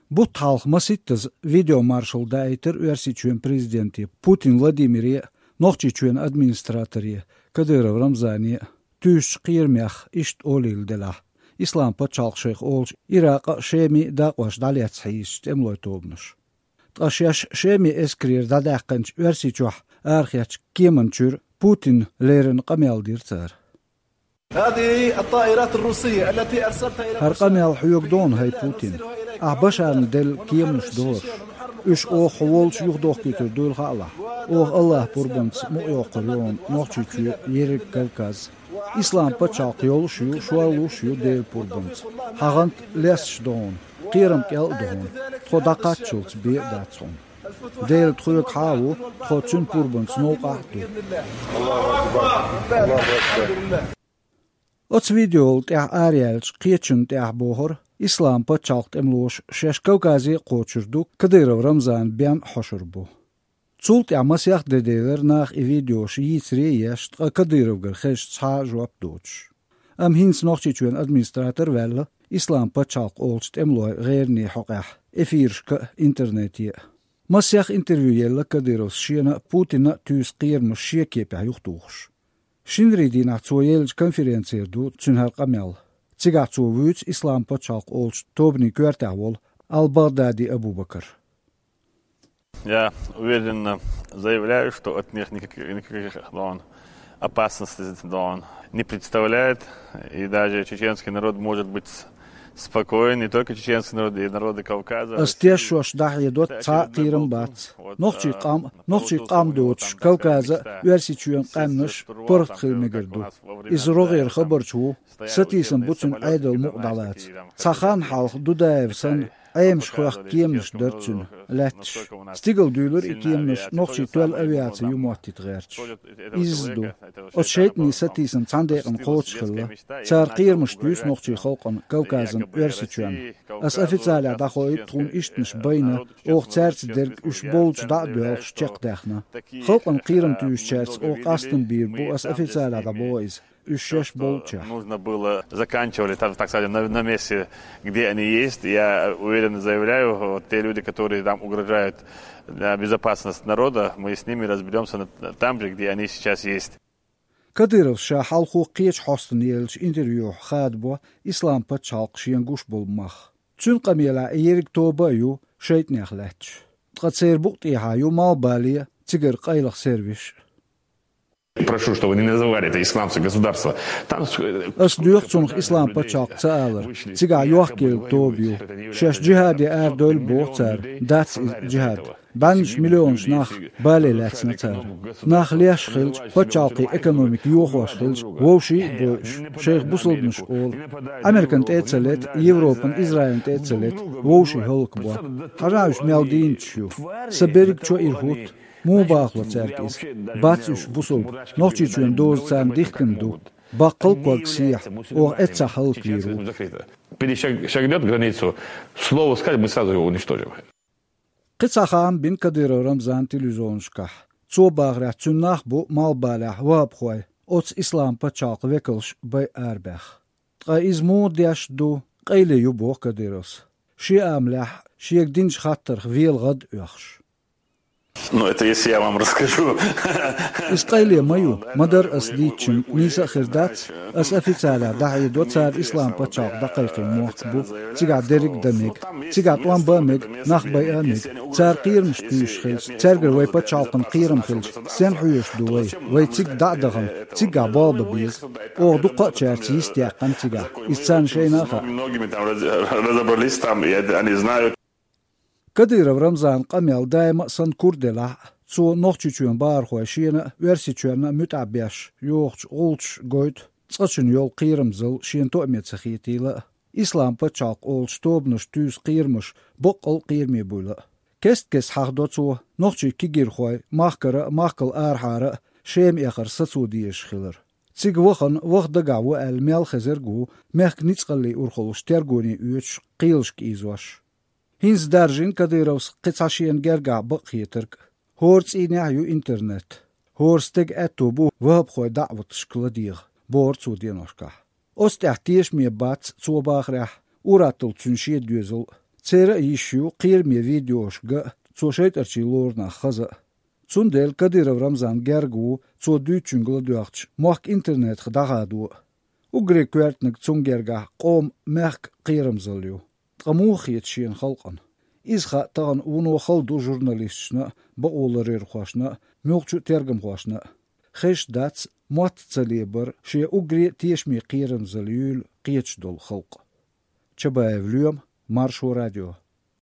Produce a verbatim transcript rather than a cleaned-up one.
Бутт хьалха масийттаза видеомаршал даийтар Оьрсийчоьнан президенте Путин Владимире а, Нохчийчоьнан администраторе Кадыров Рамзане а, туьйсучу кхерамех иштта олийла делахь, Ислам-пачхьалкх шайх олучу Иракъа а, Шема а дакъош дӀалецна хьийзачу тӀемалойн тобанаш. Ткъа шаьш Шеман эскарера дӀадаьккхинчу Оьрсийчохь арахецначу кеманна чуьра Путинна леррина къамел дира цара. هذه الطائرات الروسية التي أرسلتها إلى بشار. ХӀара къамел хьоьга ду хьуна, хӀай Путин. Ахь Башарна делла кеманаш ду хӀорш. Уьш оха хьо волчу юхадохкуьйтур дуйла хаалахь. Оха АллахӀан пурбанца мукъайоккхур ю хьуна Нохчийчоь, ерриг Кавказ. Ислам-пачхьалкх йолуш а ю, шорлуш а ю Делан пурбанца. Хьан гӀант лесташ ду хьуна, кхерам кӀел а ду хьуна. Тхо дӀакхаччалц бен а дац хьуна. Дела тхоьгахьа а ву, тхо Цуьнан пурбанца новкъахь а ду. Оцу видеол тӀаьхьа араяьллачу кхечунна тӀехь бохура, Ислам-пачхьалкх тӀемалоша шаьш Кавказе а кхочур ду, Кадыров Рамзана бен а хьошур бу. Цул тӀаьхьа масех де делира наха и видеош йийцаре а еш, ткъа Кадыровгара хезча цхьа а жоп доцуш. Амма хӀинца Нохчийчоьнан администратор а ваьлла, Ислам-пачхьалкх олучу тӀемалойн гӀераний хьокъехь эфирашка а, интернете а. Масех интервью елла Кадыровс шена а, Путинна а туьйсу кхерамаш шен кепехь юхатухуш. Шинарин дийнахь цо еллачу конференцера ду цуьнан хӀара къамел. Цигахь цо вуьйцу Ислам-пачхьалкх олучу тобанан коьртехь волу Ал-Багъдади Абу-Бакар. Я уверенно заявляю, что от них никаких, никаких, да, он, опасностей, да, он, не представляет. И даже чеченский народ может быть спокоен, не только чеченский народ, и народы Кавказа, России. Ас тешош дӀахьедо, цхьа а кхерам бац. Нохчийн къам, нохчийн къам доцуш Кавказа а, Оьрсийчоьнан къаьмнаш паргӀат хила мегар ду. Иза рогӀера хабарш бу, сатийсам бу цуьнан Ӏедал мукъа дӀалаца. Цхьа хан хьалха Дудаев санна, Ӏемаш хоьхку кеманаш дара цуьнан лаьтташ. Стигала дуьйлура и кеманаш нохчийн тоьлла авиаци ю моттийта гӀерташ. Изза ду. Оцу шайтӀанийн сатийсам цхьана декъана кхочушхилла. Цара кхерамаш туьйсу нохчийн халкъана Кавказан, Оьрсийчоьнна. Ас официалехь дӀахоуьйту тхуна ишттанаш байна, оха цаьрца дерг уьш болчу дӀа а доьлхуш чекхдаьхна. Халкъана кхерам туьйсучаьрца оха къастам бийр бу, ас официалехь дӀабоху иза. Уьш шаьш болчехь. Нужно было заканчивали, так, так сказать, на, на месте, где они есть. Я уверенно заявляю, вот те люди, которые там угрожают, э, безопасность народа, мы с ними разберёмся на, там же, где они сейчас есть. Кадыровс ша хьалхо кхечу хьостана еллачу интервьюхь хадабо Ислам-пачхьалкх шена гуш болу мах. Цуьнан къамелехь и ерриг тоба а ю шайтӀанех лаьтташ. Ткъа церан букъа тӀехьа ю малхбале а, цигара къайлаха сервисаш а. Прошу, чтобы не называли это исламское государство. Там с-, э, Ас доьху цунах Ислам-пачхьалкх ца алар. Цигахь йохкаелла тоба ю. Шаьш джихаде арадойла боху цара, дац иза джихад. БӀеннаш миллионаш нах бале лаьцна цара. Нах леш хилча, пачхьалкхийн экономика йохош хилча, вовшийн а бойуш, шайх бусалбанаш олу. Американ тӀе а ца лета, Европан, Израилан тӀе а ца лета, вовшийн хӀаллакбо. Хьажахь уьш мел дийначаш ю. Сан берриг чо ира хӀутту. Муха бахало цаьрга иза? Бац уьш бусалба. Нохчийчоьнан доза царна дихкина ду. Баккхал а ког сехьа, оха эццахь хӀаллаквийр ву. Перешаг-, шагнёт границу, слово скажет, мы сразу его уничтожим. Кхин цхьа хаам бина Кадыров Рамзана телевизионашкахь. Цо бахарехь, цуьнан нах бу малхбалехь ваххабхой, оцу Ислам-пачхьалкхан векалш байъа арабаьхна. Ткъа иза муха деш ду, къайле ю боху Кадыровс. Шен амалехь, шега динчу хаттарх вела гӀад а оьхуш. Ну, это если я вам расскажу. Иза къайле ма ю, ма-дарра ас дийцича, нийса а хир дац. Ас официалехь дӀахьедо, цара Ислам-пачхьалкх дӀакхайкхийна мохк бу, цигахь дерриг а дан мега. Цигахь тӀом бан а мега, нах байъа а мега. Цара кхерамаш туьйсуш хилча, цаьргара вай пачхьалкхана кхерам хилча, стенна хьоьжуш ду вай? Вай цигга дӀа а дахана, циггахь болх бан беза. Оха дукхачаьрца йистеяьккхина цигахь. Иза царна шайна а хаьа. Многими там раз-, разобрались там, и они знают. Кадыров Рамзанан къамел даима а санна кура делахь а, цо Нохчийчоьнан бахархой шена а, Оьрсийчоьнна а муьтӀахь беш йохучу гӀулчаш гойту, цкъачунна йолу кхерамзалла шена тоъаме ца хетийла а, Ислам-пачхьалкх олучу тобанаша туьйсу кхерамаш баккъал а кхераме буйла а. Кест-кеста хьахадо цо нохчийн кегийрхой махкара а, махкал арахьара а Шема эхар сацо дезаш хилар. Цига вахана, ваха дагахь ву аьлла мел хезарг а ву, мехкан ницкъаллийн урхаллаш тергоне оьцуш, кхелашка ийзош. ХӀинца даржийна Кадыровс кхин цхьа шена гергахь бакъхетарг. ХӀора цӀийнехь а ю интернет. ХӀора стеган аьтто бу ваххабхойн даӀваташка ладегӀа, бохура цо деношкахь. Оцу тӀехь тешаме бац, цо бахарехь, ур-атталла цуьнан шен доьзал а. Церан а йиш ю кхераме видеошка а, цо шайтӀарчий лору нах хаза а. Цундела Кадыров Рамзан герга ву цо дуьйцучуьнга ладоьгӀча мохк интернетах дӀахадо а. Уггаре коьртаниг цунна гергахь къоман мехкан кхерамзалла ю. Ткъа муха хета шена халкъана? Иза хаа тахана вуно хала ду журналисташна а, бакъоларъярхошна а, муьлххачу а тергамхошна а. Хезаш дац мотт ца лебар шен уггаре а тешаме кхерамзалла юйла кхеташ долу халкъ. Чабаев Лоьма, Маршо радио.